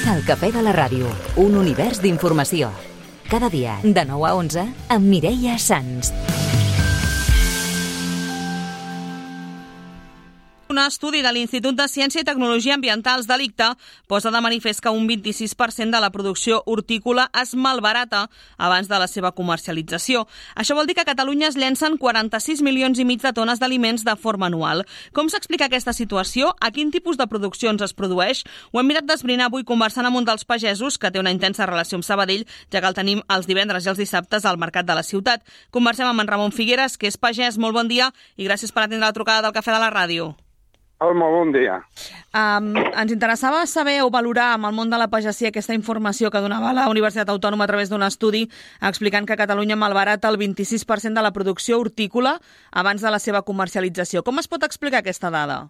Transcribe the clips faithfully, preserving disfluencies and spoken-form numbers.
El Cafè de la Ràdio, un univers d'informació. Cada dia, de nou a onze, amb Mireia Sans. Un estudi de l'Institut de Ciència i Tecnologia Ambientals de l'I C T A posa de manifest que un vint-i-sis per cent de la producció hortícola es malbarata abans de la seva comercialització. Això vol dir que a Catalunya es llencen quaranta-sis milions i mig de tones d'aliments de forma anual. Com s'explica aquesta situació? A quin tipus de produccions es produeix? Ho hem mirat d'esbrinar avui conversant amb un dels pagesos que té una intensa relació amb Sabadell, ja que el tenim els divendres i els dissabtes al mercat de la ciutat. Conversem amb en Ramon Figueres, que és pagès. Molt bon dia i gràcies per atendre la trucada del Cafè de la Ràdio. Hola, bon dia. Um, ens interessava saber o valorar amb el món de la pagesia aquesta informació que donava la Universitat Autònoma a través d'un estudi explicant que Catalunya malbarata el vint-i-sis per cent de la producció hortícola abans de la seva comercialització. Com es pot explicar aquesta dada?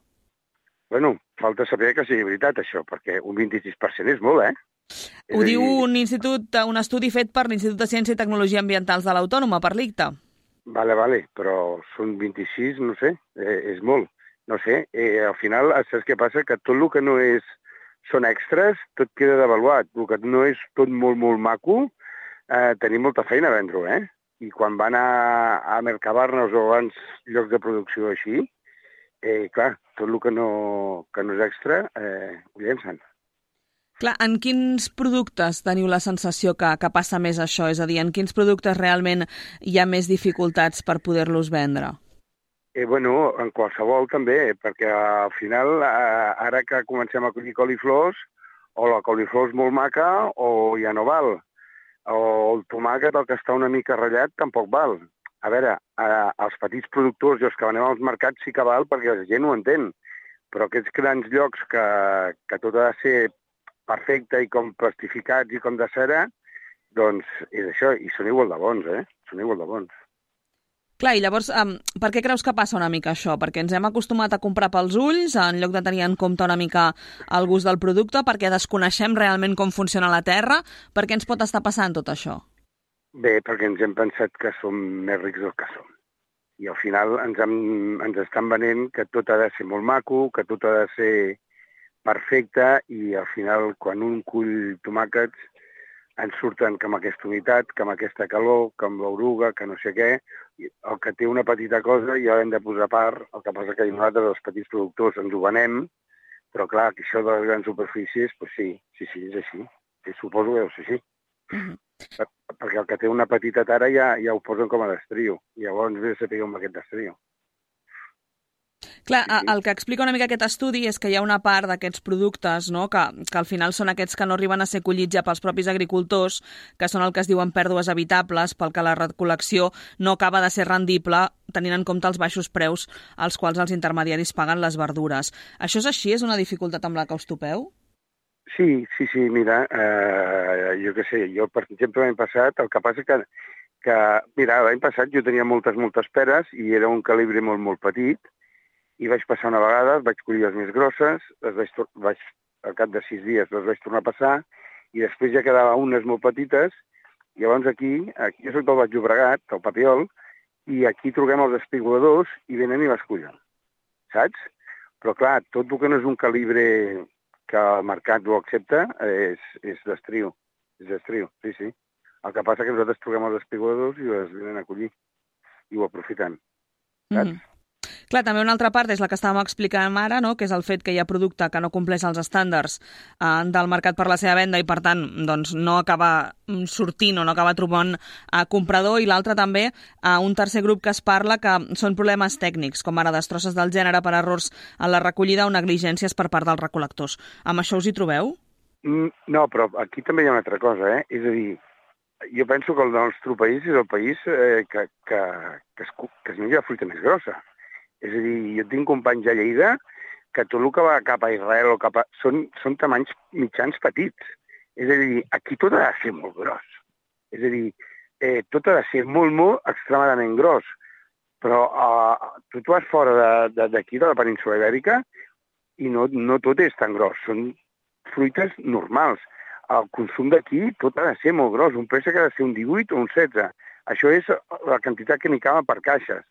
Bueno, falta saber que sigui veritat això, perquè un vint-i-sis per cent és molt, eh? Ho diu un institut, un estudi fet per l'Institut de Ciència i Tecnologia Ambientals de l'Autònoma, per l'I C T A. Vale, vale, però són vint-i-sis, no sé, eh, és molt. No sé, eh, al final, saps què passa? Que tot el que no és són extras, tot queda devaluat. El que no és tot molt, molt maco, eh, tenim molta feina a vendre-ho, eh? I quan van a, a Mercabarnes o a grans llocs de producció així, eh, clar, tot el que no, que no és extra, eh, ho llencen. Clar, en quins productes teniu la sensació que, que passa més això? És a dir, en quins productes realment hi ha més dificultats per poder-los vendre? Eh, bueno, en qualsevol també, perquè al final, eh, ara que comencem a collir coliflors, o la coliflor és molt maca o ja no val. O el tomàquet, el que està una mica ratllat, tampoc val. A veure, eh, els petits productors i els que venem als mercats sí que val perquè la gent ho entén. Però aquests grans llocs que, que tot ha de ser perfecte i com plastificats i com de cera, doncs és això, i són igual de bons, eh? Són igual de bons. Clar, i llavors, um, per què creus que passa una mica això? Perquè ens hem acostumat a comprar pels ulls, en lloc de tenir en compte una mica el gust del producte, perquè desconeixem realment com funciona la terra. Per què ens pot estar passant tot això? Bé, perquè ens hem pensat que som més rics del que som. I al final ens, hem, ens estan venent que tot ha de ser molt maco, que tot ha de ser perfecte, i al final, quan un cull tomàquets, ens surten que amb aquesta humitat, que amb aquesta calor, que amb l'oruga, que no sé què. El que té una petita cosa ja l'hem de posar a part. El que passa que nosaltres, els petits productors, ens ho venem, però clar, que això de les grans superfícies, doncs sí, sí, sí, és així. Sí, suposo que deu ser així. Uh-huh. Per, perquè el que té una petita tara ja, ja ho posen com a destrio. I llavors ve de saber amb aquest destrio. Clar, el que explica una mica aquest estudi és que hi ha una part d'aquests productes, no?, que, que al final són aquests que no arriben a ser collits ja pels propis agricultors, que són el que es diuen pèrdues evitables, pel que la recol·lecció no acaba de ser rendible, tenint en compte els baixos preus als quals els intermediaris paguen les verdures. Això és així? És una dificultat amb la que us topeu? Sí, sí, sí, mira, eh, jo què sé, jo per exemple l'any passat, el que passa que, que mira, l'any passat jo tenia moltes, moltes peres i era un calibre molt, molt petit, i vaig passar una vegada, vaig collir les més grosses, les vaig, vaig, al cap de sis dies les vaig tornar a passar, i després ja quedava unes molt petites, i llavors aquí, aquí jo soc del Baix Llobregat, del Papiol, i aquí truquem els espigoladors i venen i les cullen, saps? Però clar, tot el que no és un calibre que el mercat ho accepta és, és d'estriu, és d'estriu, sí, sí. El que passa que nosaltres truquem els espigoladors i les venen a collir, i ho aprofiten, saps? Mm. Clar, també una altra part és la que estàvem explicant ara, no?, que és el fet que hi ha producte que no compleix els estàndards eh, del mercat per la seva venda i, per tant, doncs, no acaba sortint o no acaba trobant eh, comprador, i l'altre també, eh, un tercer grup que es parla que són problemes tècnics, com ara destrosses del gènere per errors en la recollida o negligències per part dels recol·lectors. Amb això us hi trobeu? No, però aquí també hi ha una altra cosa, eh? És a dir, jo penso que el nostre país és el país eh, que, que, que, es, que es menja la fruita més grossa. És a dir, jo tinc companys a Lleida que tot el que va cap a Israel o cap a... són, són tamanys mitjans petits. És a dir, aquí tot ha de ser molt gros. És a dir, eh, tot ha de ser molt, molt extremadament gros. Però eh, tu et vas fora d'aquí, de, de la península Ibèrica, i no, no tot és tan gros. Són fruites normals. El consum d'aquí tot ha de ser molt gros. Un préssec ha de ser un divuit o un setze. Això és la quantitat que n'hi cava per caixes,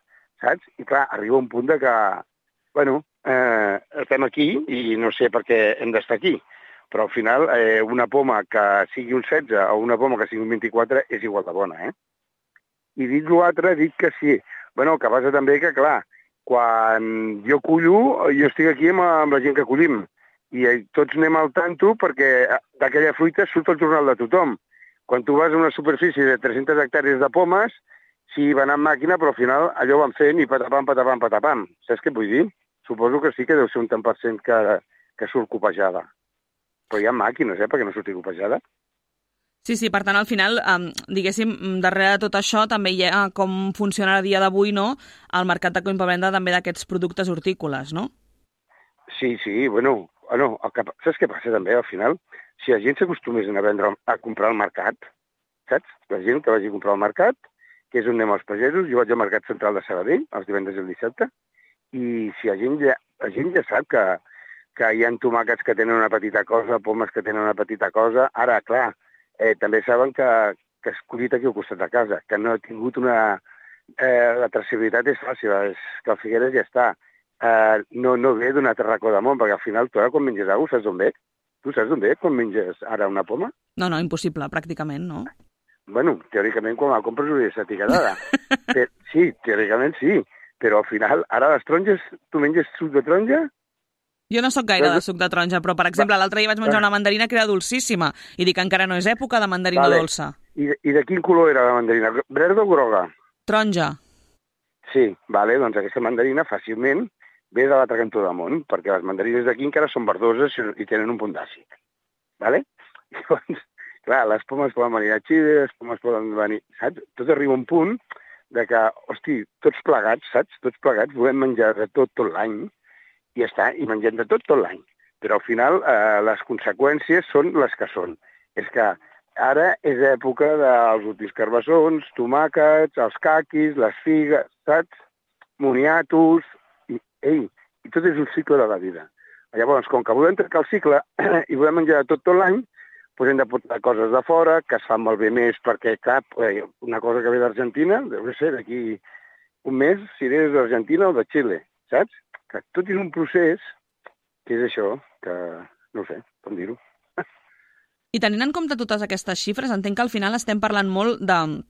saps? I clar, arriba un punt de que, bueno, eh, estem aquí i no sé per què hem d'estar aquí. Però al final eh, una poma que sigui un setze o una poma que sigui un vint-i-quatre és igual de bona, eh? I dit l'altre, dic que sí. Bueno, el que passa també que, clar, quan jo cullo, jo estic aquí amb, amb la gent que collim i tots anem al tanto perquè d'aquella fruita surt el jornal de tothom. Quan tu vas a una superfície de tres-centes hectàrees de pomes, sí, van amb màquina, però al final allò van fent i patapam, patapam, patapam. Saps què vull dir? Suposo que sí que deu ser un tant per cent que, que surt copejada. Però hi ha màquines, eh, perquè no surti copejada. Sí, sí, per tant, al final, eh, diguéssim, darrere de tot això també hi ha com funciona a dia d'avui, no?, el mercat de compravenda també d'aquests productes hortícoles, no? Sí, sí, bueno, bueno el que, saps què passa també, al final? Si la gent s'acostumés a vendre, a comprar al mercat, saps? La gent que vagi a comprar al mercat, que és on anem els pagesos, jo vaig al Mercat Central de Sabadell, els divendres i el dissabte, i si la gent ja, la gent ja sap que, que hi ha tomàquets que tenen una petita cosa, pomes que tenen una petita cosa, ara, clar, eh, també saben que, que es collit aquí al costat de casa, que no ha tingut una... Eh, la traçabilitat és fàcil, és que el Figueres ja està. Eh, no, no ve d'una racó de món, perquè al final tu ara quan menges alguna cosa saps d'on ve? Tu saps d'on ve quan menges ara una poma? No, no, impossible, pràcticament, no? Bueno, teòricament quan la compres hauria de ser etiquetada. Però, sí, teòricament sí, però al final, ara les taronges, tu menges suc de taronja? Jo no sóc gaire de suc de taronja, però, per exemple, l'altre dia vaig menjar una mandarina que era dolcíssima i dic que encara no és època de mandarina vale. dolça. I, I de quin color era la mandarina? Verda o groga? Taronja. Sí, vale, doncs aquesta mandarina fàcilment ve de l'altre cantó del món, perquè les mandarines d'aquí encara són verdoses i tenen un punt d'àcid. Vale? Llavors, clar, les pomes poden venir a Xile, les pomes poden venir... Saps? Tot arriba un punt de que, hosti, tots plegats, saps? Tots plegats volem menjar de tot tot l'any i està, i mengem de tot tot l'any. Però al final eh, les conseqüències són les que són. És que ara és època dels últims carbassons, tomàquets, els caquis, les figues, saps? Moniatos... I, ei, i tot és un cicle de la vida. Llavors, com que volem trencar el cicle i volem menjar de tot tot l'any, doncs hem de portar coses de fora, que es fan molt bé més, perquè, clar, una cosa que ve d'Argentina, deu ser d'aquí un mes, si eres d'Argentina o de Xile, saps? Que tot és un procés que és això, que no ho sé, com dir-ho. I tenint en compte totes aquestes xifres, entenc que al final estem parlant molt de...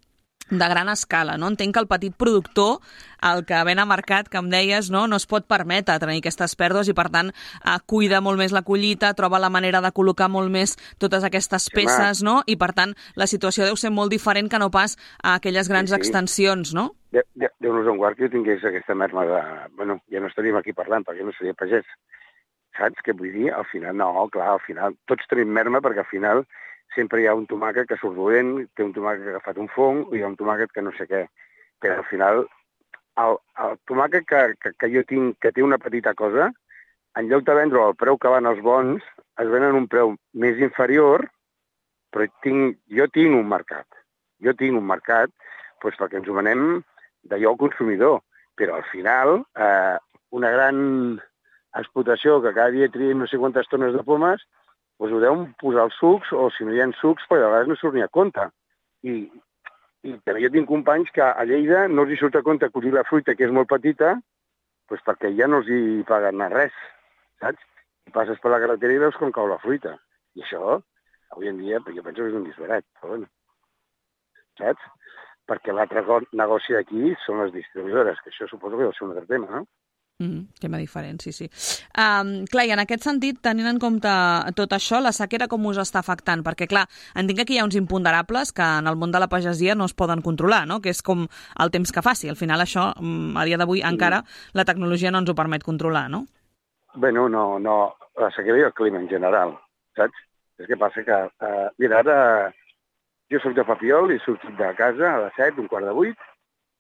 de gran escala, no? Entenc que el petit productor, el que ven a mercat, que em deies, no, no es pot permetre tenir aquestes pèrdues i, per tant, eh, cuida molt més la collita, troba la manera de col·locar molt més totes aquestes peces, sí, no? I, per tant, la situació deu ser molt diferent que no pas a aquelles grans sí, sí. extensions, no? Déu-nos en guard que jo tingués aquesta merma de... Bueno, ja no estaríem aquí parlant, perquè no seria pagès. Saps què vull dir? Al final, no, clar, al final, tots tenim merma, perquè al final sempre hi ha un tomàquet que surt dolent, té un tomàquet que ha agafat un fong, i hi ha un tomàquet que no sé què. Però al final, el, el tomàquet que, que, que jo tinc, que té una petita cosa, en lloc de vendre al preu que van els bons, es venen un preu més inferior, però tinc, jo tinc un mercat. Jo tinc un mercat doncs, perquè ens ho venem d'allò al consumidor. Però al final, eh, una gran explotació que cada dia trien no sé quantes tones de pomes, doncs ho deuen posar els sucs, o si no hi ha sucs, perquè a vegades no surt ni a compte. I, i també jo tinc companys que a Lleida no els hi surt a compte collir la fruita, que és molt petita, doncs perquè ja no els hi paguen res, saps? I passes per la carretera i veus com cau la fruita. I això, avui en dia, jo penso que és un disbarat, però bueno, saps? Perquè l'altre negoci d'aquí són les distribuïdores, que això suposo que deu ser un altre tema, no? Mm, tema diferent, sí, sí. Um, clar, i en aquest sentit, tenint en compte tot això, la sequera com us està afectant? Perquè, clar, entenc que aquí hi ha uns imponderables que en el món de la pagesia no es poden controlar, no? Que és com el temps que faci. Al final això, a dia d'avui, encara la tecnologia no ens ho permet controlar, no? Bé, no, no, no. La sequera i el clima en general, saps? És que passa que, uh, mira, ara jo soc de Papiol i he sortit de casa a les set, un quart de vuit,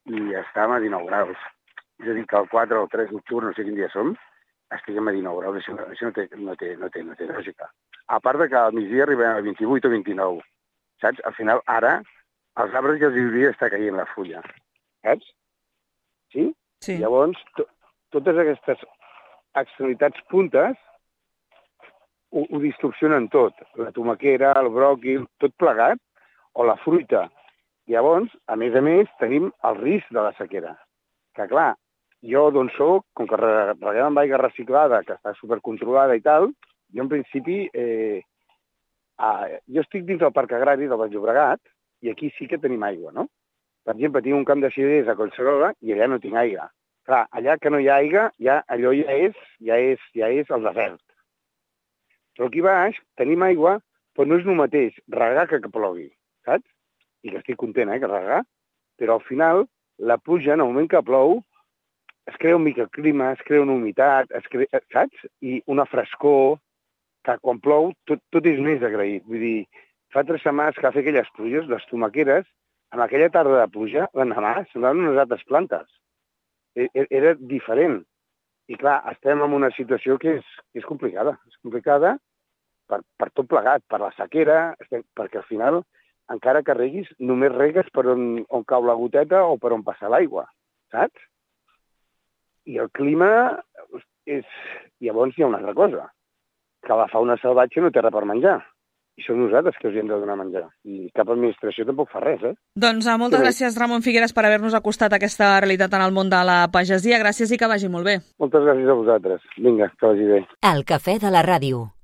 i estàvem a dinou graus. És a dir, que el quatre o el tres d'octubre, no sé quin dia som, estiguem a dinou graus. Això, això no, té, no, té, no, té, no té lògica. A part de que al migdia arribem a vint-i-vuit o vint-i-nou. Saps? Al final, ara, als arbres ja els hauria d'estar caient la fulla. Saps? Sí? Sí. Llavors, to, totes aquestes externalitats puntes ho, ho distorsionen tot. La tomaquera, el bròquil, tot plegat, o la fruita. Llavors, a més a més, tenim el risc de la sequera. Que clar, jo d'on soc, com que reguem amb aigua reciclada, que està supercontrolada i tal, Jo, en principi, eh, ah, jo estic dins del Parc Agrari del Baix Llobregat i aquí sí que tenim aigua, no? Per exemple, tinc un camp de cirers a Collserola i allà no tinc aigua. Clar, allà que no hi ha aigua, ja, allò ja és, ja és, ja és el desert. Però aquí baix tenim aigua, però no és el mateix regar que que plogui, saps? I que estic content, eh, que regar. Però al final, la pluja, en el moment que plou, es crea un microclima, es crea una humitat, es crea, saps? I una frescor, que quan plou tot, tot és més agraït. Vull dir, fa tres setmanes que va fer aquelles pluges, les tomaqueres, amb aquella tarda de pluja, l'endemà semblaven unes altres plantes. Era diferent. I clar, estem en una situació que és, que és complicada. És complicada per, per tot plegat, per la sequera, estem, perquè al final, encara que reguis, només regues per on, on cau la goteta o per on passa l'aigua, saps? I el clima és... Llavors hi ha una altra cosa, que la fauna salvatge no té res per menjar. I són nosaltres que us hi hem de donar a menjar. I cap administració tampoc fa res, eh? Doncs uh, moltes sí, gràcies, Ramon Figueres, per haver-nos acostat a aquesta realitat en el món de la pagesia. Gràcies i que vagi molt bé. Moltes gràcies a vosaltres. Vinga, que vagi bé. El cafè de la ràdio.